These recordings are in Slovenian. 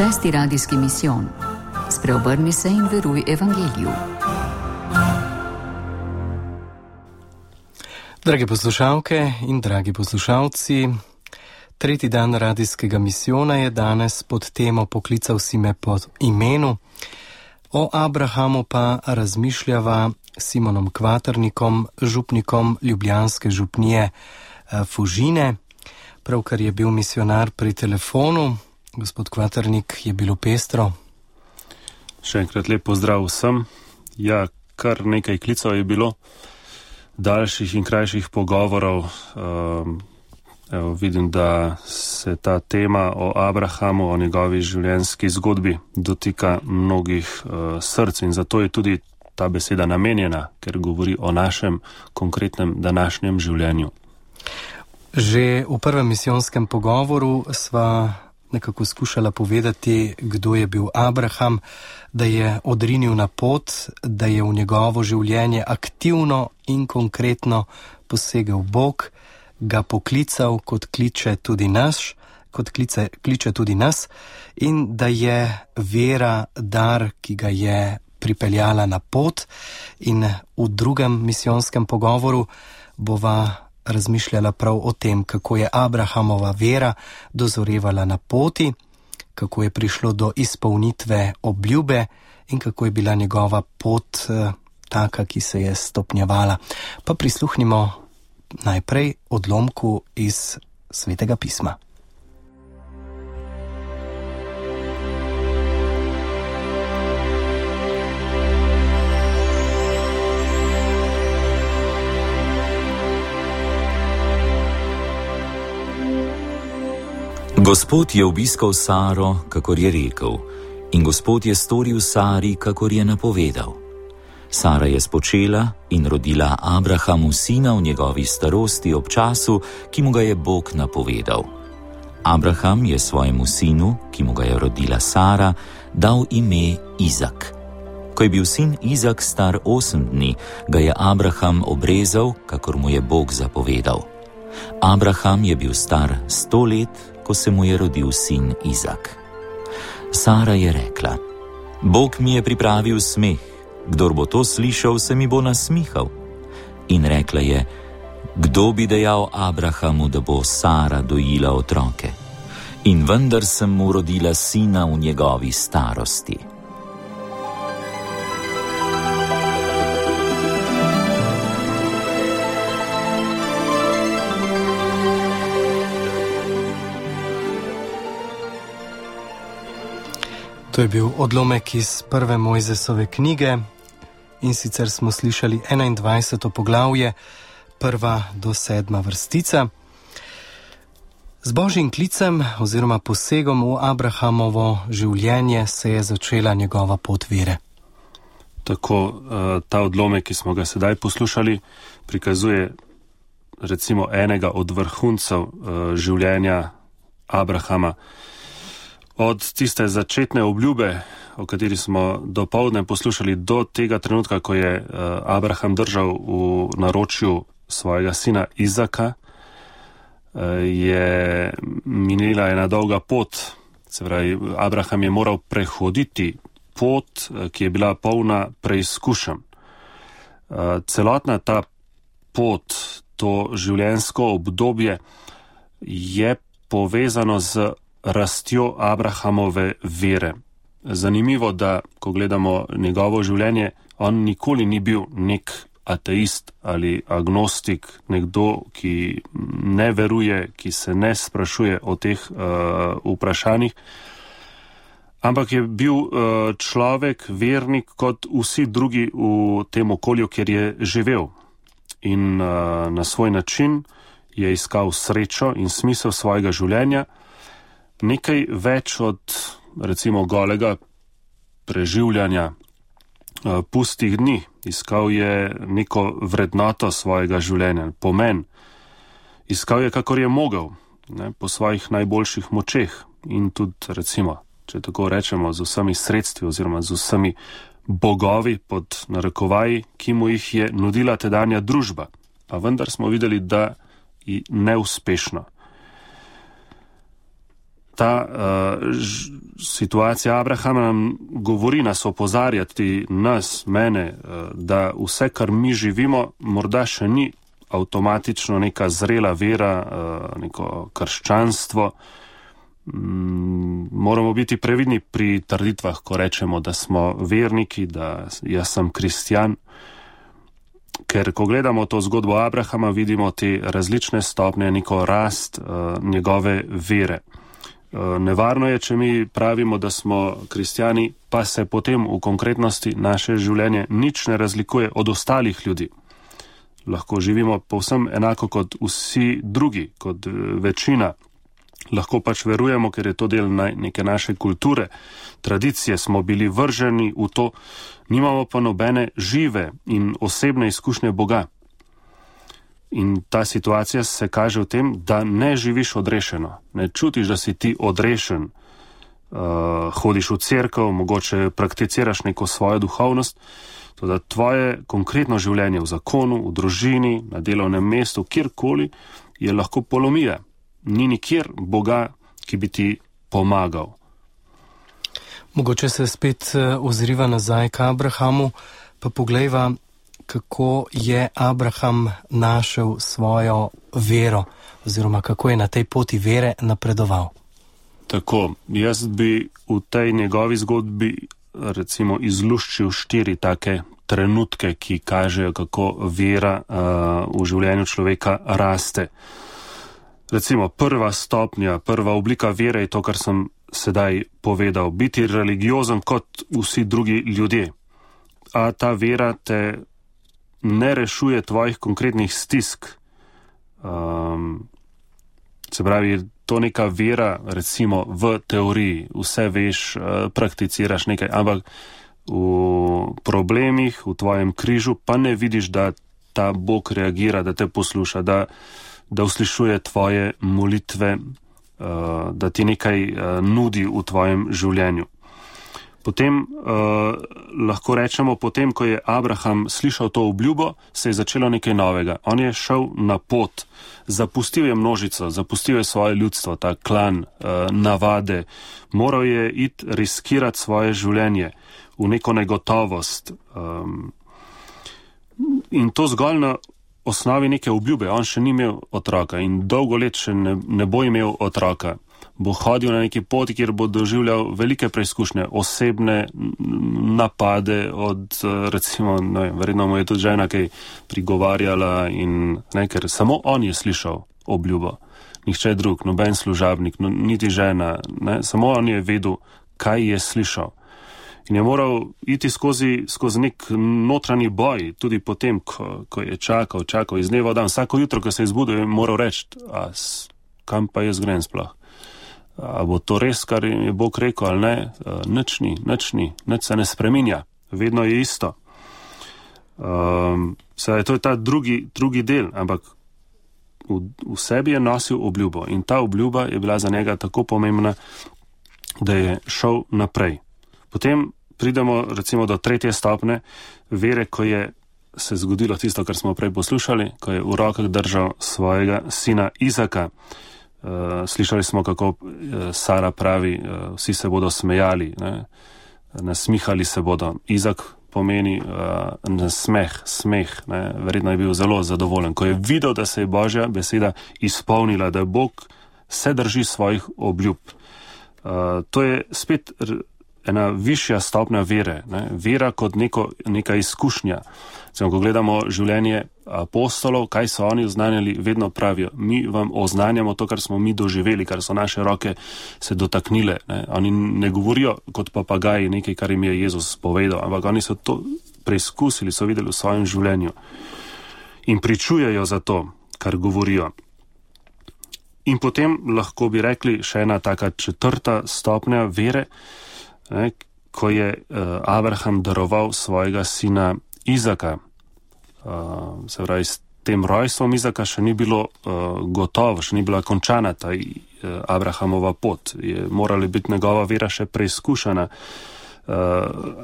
Šesti radijski misijon. Spreobrni se in veruj evangeliju. Drage poslušalke in dragi poslušalci, tretji dan radijskega misijona je danes pod temo Poklical si me po imenu. O Abrahamu pa razmišljava Simonom Kvaternikom, župnikom ljubljanske župnije Fužine. Pravkar je bil misionar pri telefonu. Gospod Kvaternik, je bilo pestro? Še enkrat lep pozdrav vsem. Ja, kar nekaj klicev je bilo, daljših in krajših pogovorov. Vidim, da se ta tema o Abrahamu, o njegovi življenjski zgodbi dotika mnogih src in zato je tudi ta beseda namenjena, ker govori o našem konkretnem današnjem življenju. Že v prvem misijonskem pogovoru sva nekako skušala povedati, kdo je bil Abraham, da je odrinil na pot, da je v njegovo življenje aktivno in konkretno posegel Bog, ga poklical, kot kliče tudi nas, in da je vera dar, ki ga je pripeljala na pot. In v drugem misijonskem pogovoru bova razmišljala prav o tem, kako je Abrahamova vera dozorevala na poti, kako je prišlo do izpolnitve obljube in kako je bila njegova pot taka, ki se je stopnjevala. Pa prisluhnimo najprej odlomku iz Svetega pisma. Gospod je obiskal Saro, kakor je rekel, in Gospod je storil Sari, kakor je napovedal. Sara je spočela in rodila Abrahamu sina v njegovi starosti ob času, ki mu ga je Bog napovedal. Abraham je svojemu sinu, ki mu ga je rodila Sara, dal ime Izak. Ko je bil sin Izak star 8 dni, ga je Abraham obrezal, kakor mu je Bog zapovedal. Abraham je bil star 100 let, ko se mu je rodil sin Izak. Sara je rekla: Bog mi je pripravil smeh, kdor bo to slišal, se mi bo nasmihal. In rekla je: kdo bi dejal Abrahamu, da bo Sara dojila otroke? In vendar sem mu rodila sina v njegovi starosti. To je bil odlomek iz prve Mojzesove knjige in sicer smo slišali 21. poglavje, 1. do 7. vrstica. Z Božjim klicem oziroma posegom v Abrahamovo življenje se je začela njegova pot vere. Tako ta odlomek, ki smo ga sedaj poslušali, prikazuje recimo enega od vrhuncev življenja Abrahama. Od tiste začetne obljube, o kateri smo dopoldne poslušali, do tega trenutka, ko je Abraham držal v naročju svojega sina Izaka, je minila ena dolga pot. Se pravi, Abraham je moral prehoditi pot, ki je bila polna preizkušenj. Celotna ta pot, to življenjsko obdobje je povezano z rastjo Abrahamove vere. Zanimivo, da ko gledamo njegovo življenje, on nikoli ni bil nek ateist ali agnostik, nekdo, ki ne veruje, ki se ne sprašuje o teh vprašanjih, ampak je bil človek, vernik kot vsi drugi v tem okolju, kjer je živel. In na svoj način je iskal srečo in smisel svojega življenja, nekaj več od recimo golega preživljanja pustih dni. Iskal je neko vrednoto svojega življenja, pomen. Iskal je, kakor je mogel, po svojih najboljših močeh in tudi recimo, če tako rečemo, z vsemi sredstvi oziroma z vsemi bogovi pod narekovaji, ki mu jih je nudila tedanja družba. Pa vendar smo videli, da neuspešno. ta situacija Abrahama nam govori, nas opozarjati, mene, da vse, kar mi živimo, morda še ni avtomatično neka zrela vera, neko krščanstvo. Moramo biti previdni pri trditvah, ko rečemo, da smo verniki, da jaz sem kristjan. Ker ko gledamo to zgodbo Abrahama, vidimo te različne stopnje, neko rast njegove vere. Nevarno je, če mi pravimo, da smo kristjani, pa se potem v konkretnosti naše življenje nič ne razlikuje od ostalih ljudi. Lahko živimo povsem enako kot vsi drugi, kot večina. Lahko pač verujemo, ker je to del neke naše kulture, tradicije, smo bili vrženi v to, nimamo pa nobene žive in osebne izkušnje Boga. In ta situacija se kaže v tem, da ne živiš odrešeno, ne čutiš, da si ti odrešen, hodiš v cerkev, mogoče prakticiraš neko svojo duhovnost, to da tvoje konkretno življenje v zakonu, v družini, na delovnem mestu, kjerkoli, je lahko polomija. Ni nikjer Boga, ki bi ti pomagal. Mogoče se spet ozriva nazaj k Abrahamu, pa poglejva, kako je Abraham našel svojo vero, oziroma kako je na tej poti vere napredoval. Tako, jaz bi v tej njegovi zgodbi recimo izluščil 4 take trenutke, ki kažejo, kako vera v življenju človeka raste. Recimo, prva stopnja, prva oblika vere je to, kar sem sedaj povedal. Biti religiozen kot vsi drugi ljudje. A ta vera te ne rešuje tvojih konkretnih stisk. Se pravi, to neka vera, recimo, v teoriji. Vse veš, prakticiraš nekaj, ampak v problemih, v tvojem križu, pa ne vidiš, da ta Bog reagira, da te posluša, da uslišuje tvoje molitve, da ti nekaj nudi v tvojem življenju. Potem lahko rečemo, potem, ko je Abraham slišal to obljubo, se je začelo nekaj novega. On je šel na pot, zapustil je množico, zapustil je svoje ljudstvo, ta klan, navade, moral je iti riskirati svoje življenje v neko negotovost. In to zgolj na osnovi neke obljube. On še ni imel otroka in dolgo let še ne bo imel otroka. Bo hodil na neki poti, kjer bo doživljal velike preizkušnje, osebne napade od, recimo, verjetno mu je tudi žena kaj prigovarjala in ker samo on je slišal obljubo. Nihče drug, noben služabnik, niti žena, samo on je vedel, kaj je slišal. In je moral iti skozi nek notranji boj, tudi potem, ko je čakal iz dneva v dan. Vsako jutro, ko se je zbudil, je moral reči, kam pa jaz grem sploh? A bo to res, kar je Bog rekel, ali ne? Nič ni, nič se ne spreminja, vedno je isto. Sedaj, to je ta drugi del, ampak v sebi je nosil obljubo in ta obljuba je bila za njega tako pomembna, da je šel naprej. Potem pridemo recimo do 3. stopne vere, ko je se zgodilo tisto, kar smo prej poslušali, ko je v rokah držal svojega sina Izaka. Slišali smo, kako Sara pravi, vsi se bodo smejali, nasmihali se bodo. Izak pomeni smeh, verjetno je bil zelo zadovoljen, ko je videl, da se je Božja beseda izpolnila, da Bog se drži svojih obljub. To je spet ena višja stopnja vere, vera kot neka izkušnja. Ko gledamo življenje apostolov, kaj so oni oznanjali, vedno pravijo, mi vam oznanjamo to, kar smo mi doživeli, kar so naše roke se dotaknile. Oni ne govorijo kot papagaji nekaj, kar jim je Jezus povedal, ampak oni so to preizkusili, so videli v svojem življenju in pričujejo za to, kar govorijo. In potem lahko bi rekli še ena taka 4. stopnja vere, ko je Abraham daroval svojega sina Izaka. Se pravi, s tem rojstvom Izaka še ni bilo gotovo, še ni bila končana ta Abrahamova pot. Je morala biti njegova vera še preizkušena.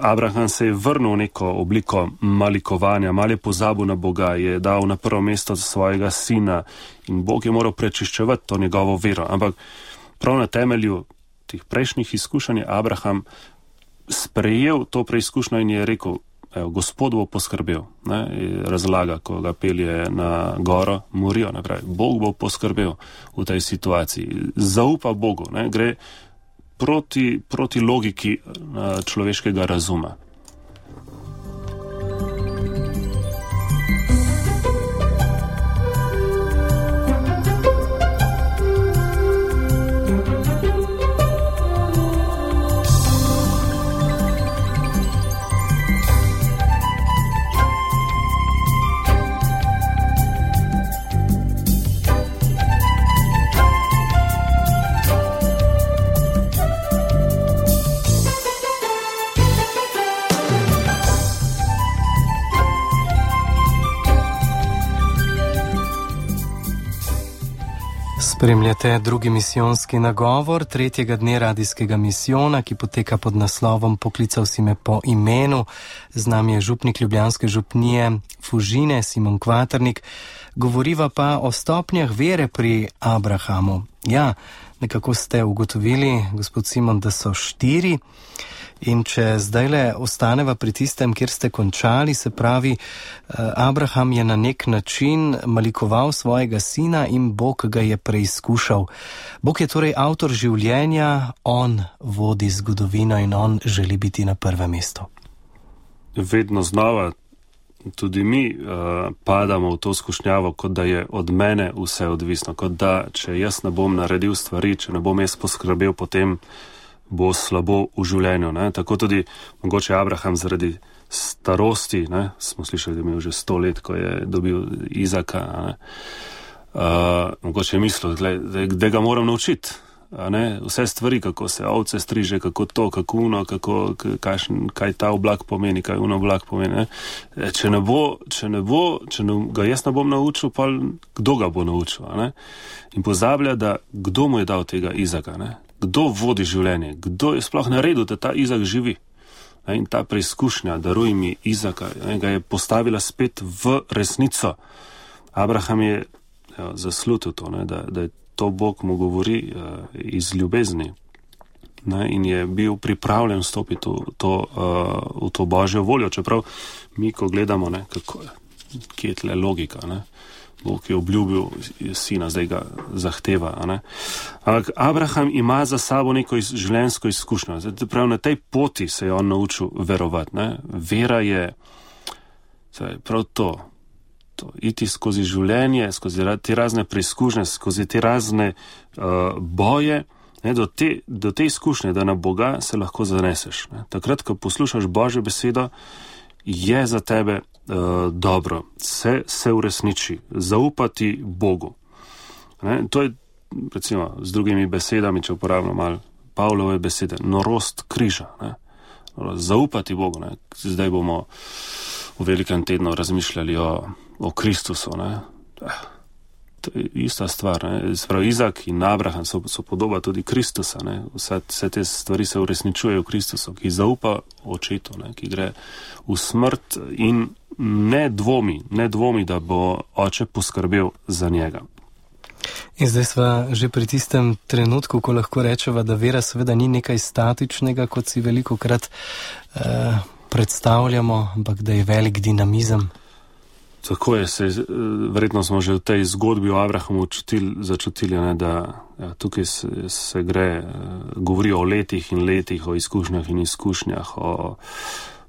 Abraham se je vrnil v neko obliko malikovanja, malo je pozabil na Boga, je dal na prvo mesto svojega sina in Bog je moral prečiščevati to njegovo vero. Ampak prav na temelju teh prejšnjih izkušenj je Abraham sprejel to preizkušnjo in je rekel, evo, Gospod bo poskrbel, ne, razlaga, ko ga pelje na goro Morijo, ne, pravi, Bog bo poskrbel v tej situaciji, zaupa Bogu, ne, gre proti logiki človeškega razuma. Spremljate drugi misijonski nagovor tretjega dne radijskega misijona, ki poteka pod naslovom Poklical si me po imenu. Z nami je župnik ljubljanske župnije Fužine, Simon Kvaternik. Govoriva pa o stopnjah vere pri Abrahamu. Ja, nekako ste ugotovili, gospod Simon, da so 4. In če zdajle ostaneva pri tistem, kjer ste končali, se pravi, Abraham je na nek način malikoval svojega sina in Bog ga je preizkušal. Bog je torej avtor življenja, on vodi zgodovino in on želi biti na prvem mestu. Vedno znova tudi mi padamo v to skušnjavo, kot da je od mene vse odvisno, kot da, če jaz ne bom naredil stvari, če ne bom jaz poskrbel, potem bo slabo v življenju. Ne? Tako tudi mogoče Abraham zaradi starosti, ne? Smo slišali, da je imel že 100 let, ko je dobil Izaka, mogoče je mislil, da ga moram naučiti. Vse stvari, kako se ovce striže, kako to, kako uno, kaj ta oblak pomeni, kaj uno oblak pomeni. Ne? Če ga jaz ne bom naučil, pa kdo ga bo naučil? Ne? In pozablja, da kdo mu je dal tega Izaka, ne? Kdo vodi življenje, kdo je sploh naredil, da ta Izak živi. In ta preizkušnja, daruj mi Izaka, ga je postavila spet v resnico. Abraham je zaslutil to, da je to Bog mu govori iz ljubezni. In je bil pripravljen stopiti v to Božjo voljo. Čeprav mi, ko gledamo, kje je tle logika, Bog je obljubil sina, zdaj ga zahteva. Ampak Abraham ima za sabo neko življenjsko izkušnjo. Prav na tej poti se je on naučil verovati. Vera je prav to, iti skozi življenje, skozi te razne preizkušnje, skozi te razne boje, do te izkušnje, da na Boga se lahko zaneseš. Takrat, ko poslušaš Božjo besedo, je za tebe dobro, se uresniči, zaupati Bogu. To je, recimo, z drugimi besedami, če uporabljam malo Pavlove besede, norost križa. Zaupati Bogu. Zdaj bomo v velikem tednu razmišljali o Kristusu. To je ista stvar. Sprav Izak in Abraham so podoba tudi Kristusa. Vse te stvari se uresničujejo v Kristusu, ki zaupa očetu, ki gre v smrt in ne dvomi, da bo oče poskrbel za njega. In zdaj sva že pri tistem trenutku, ko lahko rečeva, da vera seveda ni nekaj statičnega, kot si velikokrat predstavljamo, ampak da je velik dinamizem. Tako je, verjetno smo že v tej zgodbi o Abrahamu začutili, da tukaj se govori o letih in letih, o izkušnjah in izkušnjah, o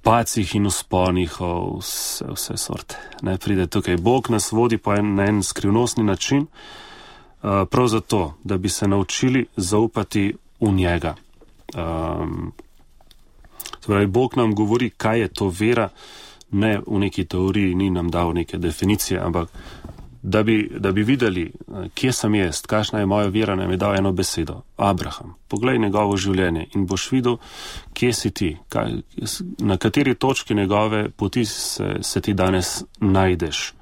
pacih in usponih, o vse sorte. Pride tukaj Bog nas vodi pa na en skrivnostni način, prav zato, da bi se naučili zaupati v njega. Torej, Bog nam govori, kaj je to vera, ne v neki teoriji, ni nam dal neke definicije, ampak da bi videli, kje sem jaz, kakšna je moja vera, nam je dal eno besedo. Abraham, poglej njegovo življenje in boš videl, kje si ti, na kateri točki njegove poti se ti danes najdeš.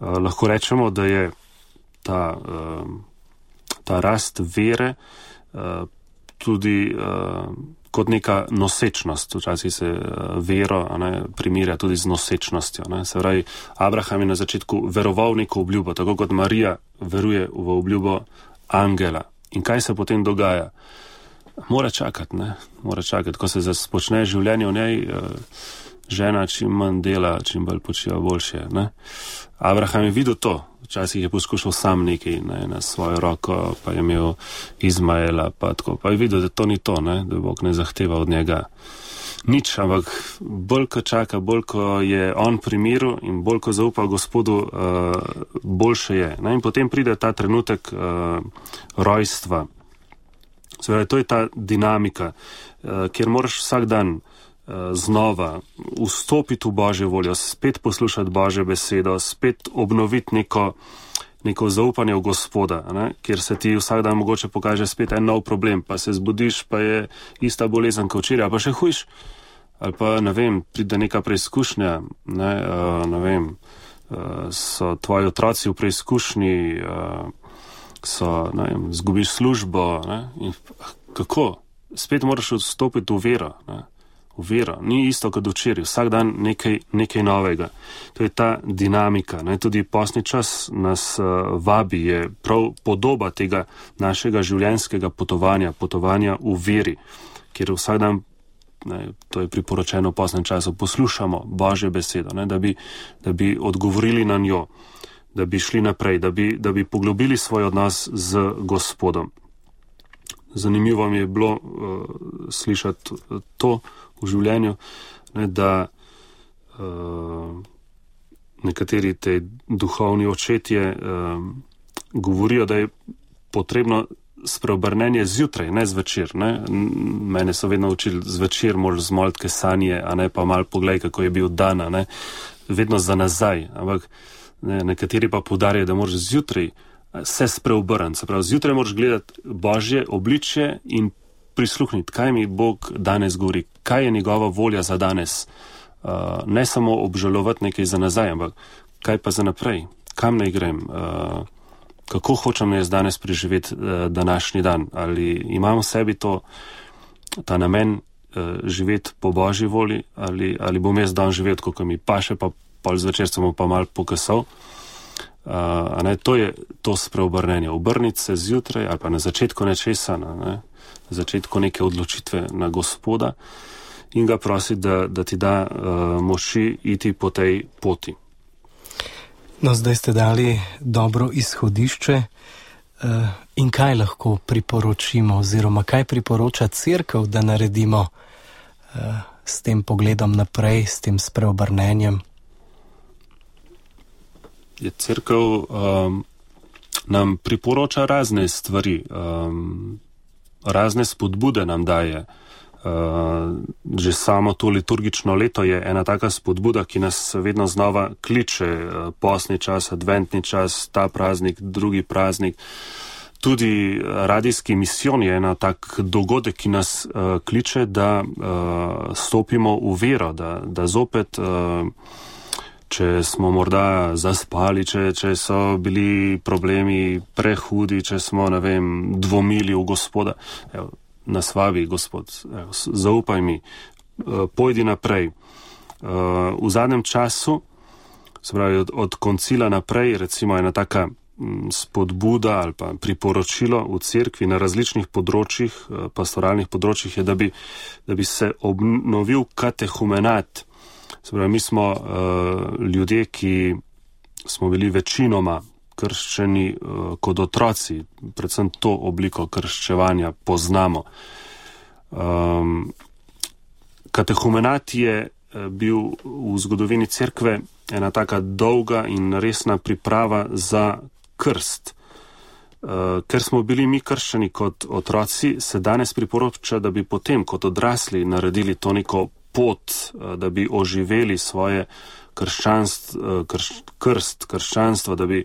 Lahko rečemo, da je ta rast vere tudi kot neka nosečnost. Včasih se vero primerja tudi z nosečnostjo. Se pravi, Abraham je na začetku veroval neko obljubo, tako kot Marija veruje v obljubo angela. In kaj se potem dogaja? Mora čakati, ne? Mora čakati. Ko se začne življenje v njej, žena čim manj dela, čim bolj počiva boljše, ne? Abraham je videl to. Včasih je poskušal sam nekaj, ne, na svojo roko, pa je imel Izmaela, pa tako. Pa je videl, da to ni to, ne? Da Bog ne zahteva od njega nič, ampak bolj ko čaka, bolj ko je on pri miru in bolj ko zaupa Gospodu, boljše je. Ne? In potem pride ta trenutek rojstva. Zdaj, to je ta dinamika, kjer moraš vsak dan znova vstopiti v Božjo voljo, spet poslušati Božjo besedo, spet obnoviti neko zaupanje v Gospoda, ne? Kjer se ti vsak dan mogoče pokaže spet en nov problem, pa se zbudiš, pa je ista bolezen kot včeraj, pa še hujš. Ali pa, ne vem, pride neka preizkušnja, ne vem, so tvoji otroci v preizkušnji, ne vem, zgubiš službo, ne? In kako? Spet moraš vstopiti v vero, ne? V vero. Ni isto kot včeraj, vsak dan nekaj novega. To je ta dinamika, ne? Tudi postni čas nas vabi, je prav podoba tega našega življenjskega potovanja v veri, kjer vsak dan, ne, to je priporočeno v postnem času, poslušamo Božjo besedo, ne? Da bi odgovorili na njo, da bi šli naprej, da bi poglobili svoj odnos z Gospodom. Zanimivo mi je bilo slišati to v življenju, ne, da nekateri te duhovni očetje govorijo, da je potrebno spreobrnenje zjutraj, ne zvečer. Ne. Mene so vedno učili, zvečer moraš zmoliti sanje, a ne pa malo poglej, kako je bil dan, ne. Vedno za nazaj. Ampak ne, nekateri pa poudarjajo, da moraš zjutraj se spreobrniti. Se pravi, zjutraj moraš gledati Božje obličje in prisluhniti, kaj mi Bog danes govori, kaj je njegova volja za danes. Ne samo obžalovati nekaj za nazaj, ampak kaj pa za naprej, kam naj grem, kako hočem jaz danes preživeti današnji dan, ali imam v sebi ta namen živeti po Božji volji, ali bom jaz dan živel, kako mi paše, pa pol zvečer sem pa malo pokasal. To je to spreobrnenje. Obrniti se zjutraj ali pa na začetku nečesa, na začetku neke odločitve na Gospoda in ga prositi, da ti da moči iti po tej poti. No, zdaj ste dali dobro izhodišče in kaj lahko priporočimo oziroma kaj priporoča Cerkev, da naredimo s tem pogledom naprej, s tem spreobrnenjem? Je Cerkev nam priporoča razne stvari, razne spodbude nam daje. Že samo to liturgično leto je ena taka spodbuda, ki nas vedno znova kliče, postni čas, adventni čas, ta praznik, drugi praznik. Tudi radijski misijon je ena tak dogodek, ki nas kliče, da stopimo v vero, da zopet, če smo morda zaspali, če so bili problemi prehudi, če smo, ne vem, dvomili v Gospoda. Evo, nas vabi Gospod, evo, zaupaj mi, pojdi naprej. V zadnjem času, se pravi od koncila naprej, recimo ena taka spodbuda ali pa priporočilo v cerkvi na različnih področjih, pastoralnih področjih je, da bi se obnovil katehumenat. Se pravi, mi smo ljudje, ki smo bili večinoma krščeni kot otroci, predvsem to obliko krščevanja poznamo. Katehumenat je bil v zgodovini cerkve ena taka dolga in resna priprava za krst. Ker smo bili mi krščeni kot otroci, se danes priporoča, da bi potem kot odrasli naredili to neko pot, da bi oživeli svoje krščanstvo, da bi,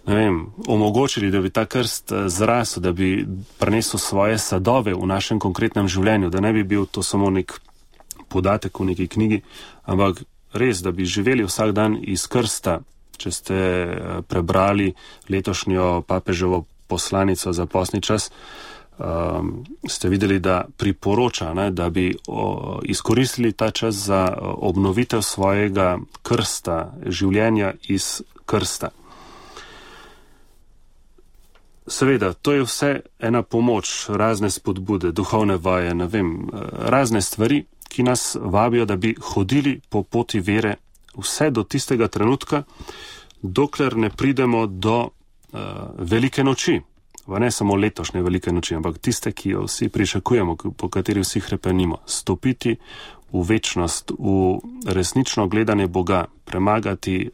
ne vem, omogočili, da bi ta krst zrasel, da bi prinesel svoje sadove v našem konkretnem življenju, da ne bi bil to samo nek podatek v neki knjigi, ampak res, da bi živeli vsak dan iz krsta. Če ste prebrali letošnjo papeževo poslanico za postni čas, ste videli, da priporoča, ne, da bi izkoristili ta čas za obnovitev svojega krsta, življenja iz krsta. Seveda, to je vse ena pomoč, razne spodbude, duhovne vaje, razne stvari, ki nas vabijo, da bi hodili po poti vere vse do tistega trenutka, dokler ne pridemo do velike noči. Ne samo letošnje velike noči, ampak tiste, ki jo vsi pričakujemo, po kateri vsi hrepenimo. Stopiti v večnost, v resnično gledanje Boga, premagati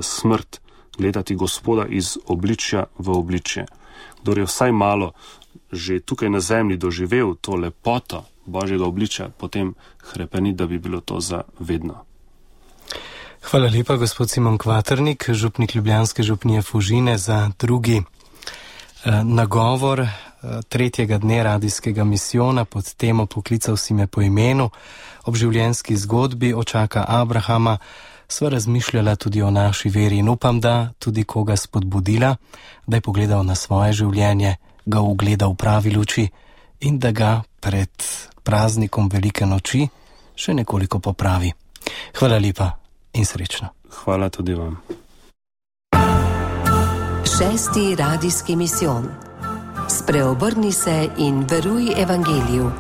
smrt, gledati Gospoda iz obličja v obličje. Kdor je vsaj malo že tukaj na zemlji doživel to lepoto Božjega obličja, potem hrepeni, da bi bilo to za vedno. Hvala lepa, gospod Simon Kvaternik, župnik ljubljanske župnije Fužine, za drugi nagovor tretjega dne radijskega misijona pod temo Poklical si me po imenu. Ob življenjski zgodbi očaka Abrahama sva razmišljala tudi o naši veri in upam, da tudi koga spodbudila, da je pogledal na svoje življenje, ga ugledal v pravi luči in da ga pred praznikom velike noči še nekoliko popravi. Hvala lepa in srečno. Hvala tudi vam. 6. radijski misijon. Spreobrni se in veruj evangeliju.